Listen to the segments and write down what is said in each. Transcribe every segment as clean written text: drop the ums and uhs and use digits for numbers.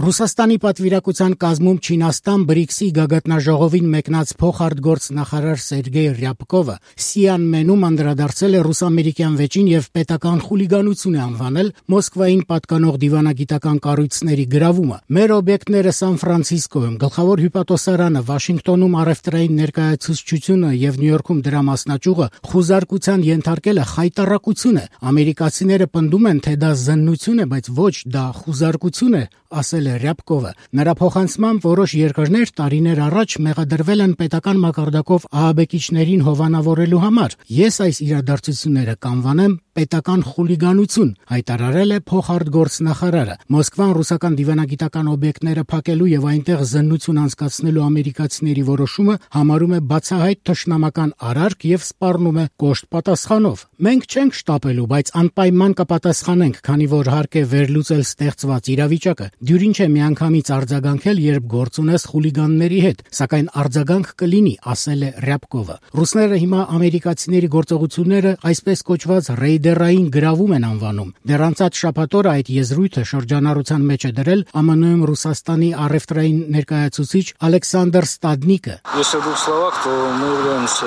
Ռուսաստանի պատվիրակության կազմում Չինաստան BRICS-ի գագաթնաժողովին մեկնած փոխարտգործնախարար Սերգեյ Ռյաբկովը Սիանմենում անդրադարձել է ռուս-ամերիկյան վեճին եւ պետական խուլիգանություն է անվանել Մոսկվային պատկանող դիվանագիտական կառույցների գրավումը։ Մեր օբյեկտները Սան Ֆրանցիսկոյում, Գլխավոր հյուպատոսարանը, Վաշինգտոնում առևտրային ներկայացուցչությունը եւ Նյու Յորքում դրա մասնաճյուղը խուզարկության ենթարկելը խայտառակություն է։ Ամերիկացիները պնդում են, թե դա զննություն է, բայց ոչ, դա խուզարկություն է, ասել է Ռյաբկովը։ Նրա փոխանցմամբ որոշ երկրներ տարիներ առաջ մեղադրվել են պետական մակարդակով ահաբեկիչներին հովանավորելու համար։ Ես այս իրադարձությունները կանվանեմ պետական խուլիգանություն, հայտարարել է փոխարտգործնախարարը։ Մոսկվան ռուսական դիվանագիտական օբյեկտները փակելու եւ այնտեղ զննություն անցկացնելու ամերիկացիների որոշումը համարում է բացահայտ թշնամական արարք եւ սպառնում է կոշտ պատասխանով։ Մենք չենք շտապելու, բայց անպայման կպատասխանենք, քանի որ հարկ է վերլուծել ստեղծված իրավիճակը։ Դյուրին չէ միանգամից արձագանքել, երբ գործ ունես խուլիգանների հետ, սակայն արձագանք կլինի, ասել է Ռյաբկովը։ Ռուսները հիմա ամերիկացիների գործողությունները այսպես կոչված ռեյդերային գրավում են անվանում։ Դեռ անցած շաբաթ օրը այդ եզրույթը շրջանառության մեջ է դրել ԱՄՆ-ում Ռուսաստանի առևտրային ներկայացուցիչ Ալեքսանդր Ստադնիկը։ Если в двух словах, то мы являемся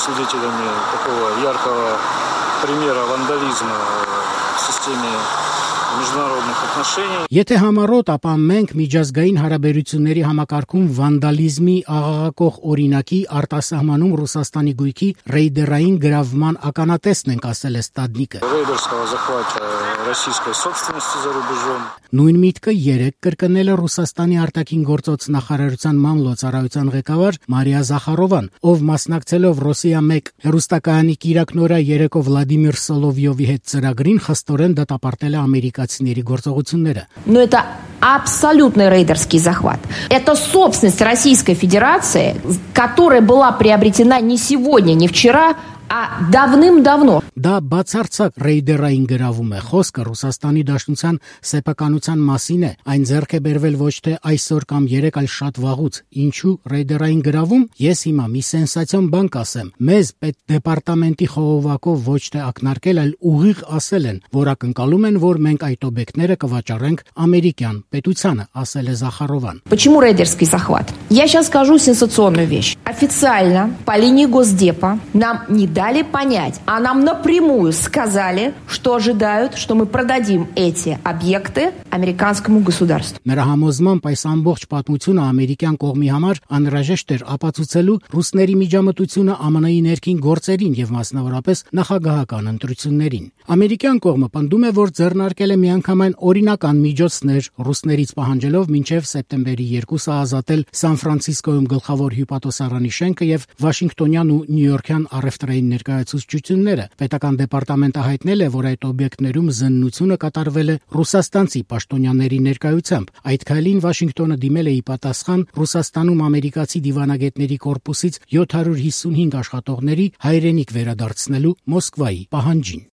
свидетелями такого яркого примера вандализма в системе международных отношений. Եթե համառոտ, ապա մենք միջազգային հարաբերությունների համակարգում վանդալիզմի աղաղակող օրինակի արտասահմանում Ռուսաստանի գույքի ռեյդերային գրավման ականատեսն ենք, ասել է Ստադնիկը։ Рейдерского захвата российской собственности за рубежом. Նույն միտքը երեկ կրկնել է Ռուսաստանի արտաքին գործոց նախարարության մամլոյցարայության ղեկավար Մարիա Զախարովան, ով մասնակցելով Ռոսիա 1 հեռուստակայանի կիրակնօրյա երեկո Վլադիմիր Սոլովյովի հետ ծրագրին խստորեն դատապարտել է ամերիկացիների գործողությունները։ Но это абсолютный рейдерский захват. Это собственность Российской Федерации, которая была приобретена не сегодня, не вчера, а давным-давно. Դա բացարձակ ռեյդերային գրավում է։ Խոսքը Ռուսաստանի Դաշնության սեփականության մասին է։ Այն ձեռք է բերվել ոչ թե այսօր կամ երեկ, այլ շատ վաղուց։ Ինչու ռեյդերային գրավում? Ես հիմա մի սենսացիոն բան կասեմ։ Մեզ պետդեպարտամենտի խողովակով ոչ թե ակնարկել, այլ ուղիղ ասել են, որ ակնկալում են, որ մենք այդ օբյեկտները կվաճառենք ամերիկյան պետությանը, ասել է Զախարովան։ Почему рейдерский захват? Я сейчас скажу сенсационную вещь. Официально по линии Госдепа нам не дали понять, а нам напрямую сказали, что ожидают, что мы продадим эти объекты американскому государству. Նրա համոզմամբ այս ամբողջ պատմությունը ամերիկյան կողմի համար անհրաժեշտ էր ապացուցելու ռուսների միջամտությունը ԱՄՆ-ի ներքին գործերին եւ մասնավորապես նախագահական ընտրություններին։ Ամերիկյան կողմը պնդում է, որ ձեռնարկել է միանգամայն օրինական միջոցներ ռուսներից պահանջելով մինչև սեպտեմբերի 2-ը ազատել Սան Ֆրանցիսկոյում գլխավոր հյուպատոսարանի շենքը եւ Վաշինգտոնյան ու Նյու Յորքյան առևտրային ներկայացուցչությունները։ Պետական դեպարտամենտը հայտնել է, որ այդ օբյեկտներում զննությունը կատարվել է ռուսաստանցի պաշտոնյաների ներկայությամբ։ Այդ քայլին Վաշինգտոնը դիմել է ի պատասխան Ռուսաստանում ամերիկացի դիվանագետների կորպուսից 755 աշխատողների հայրենիք վերադարձնելու Մոսկվայի պահանջին։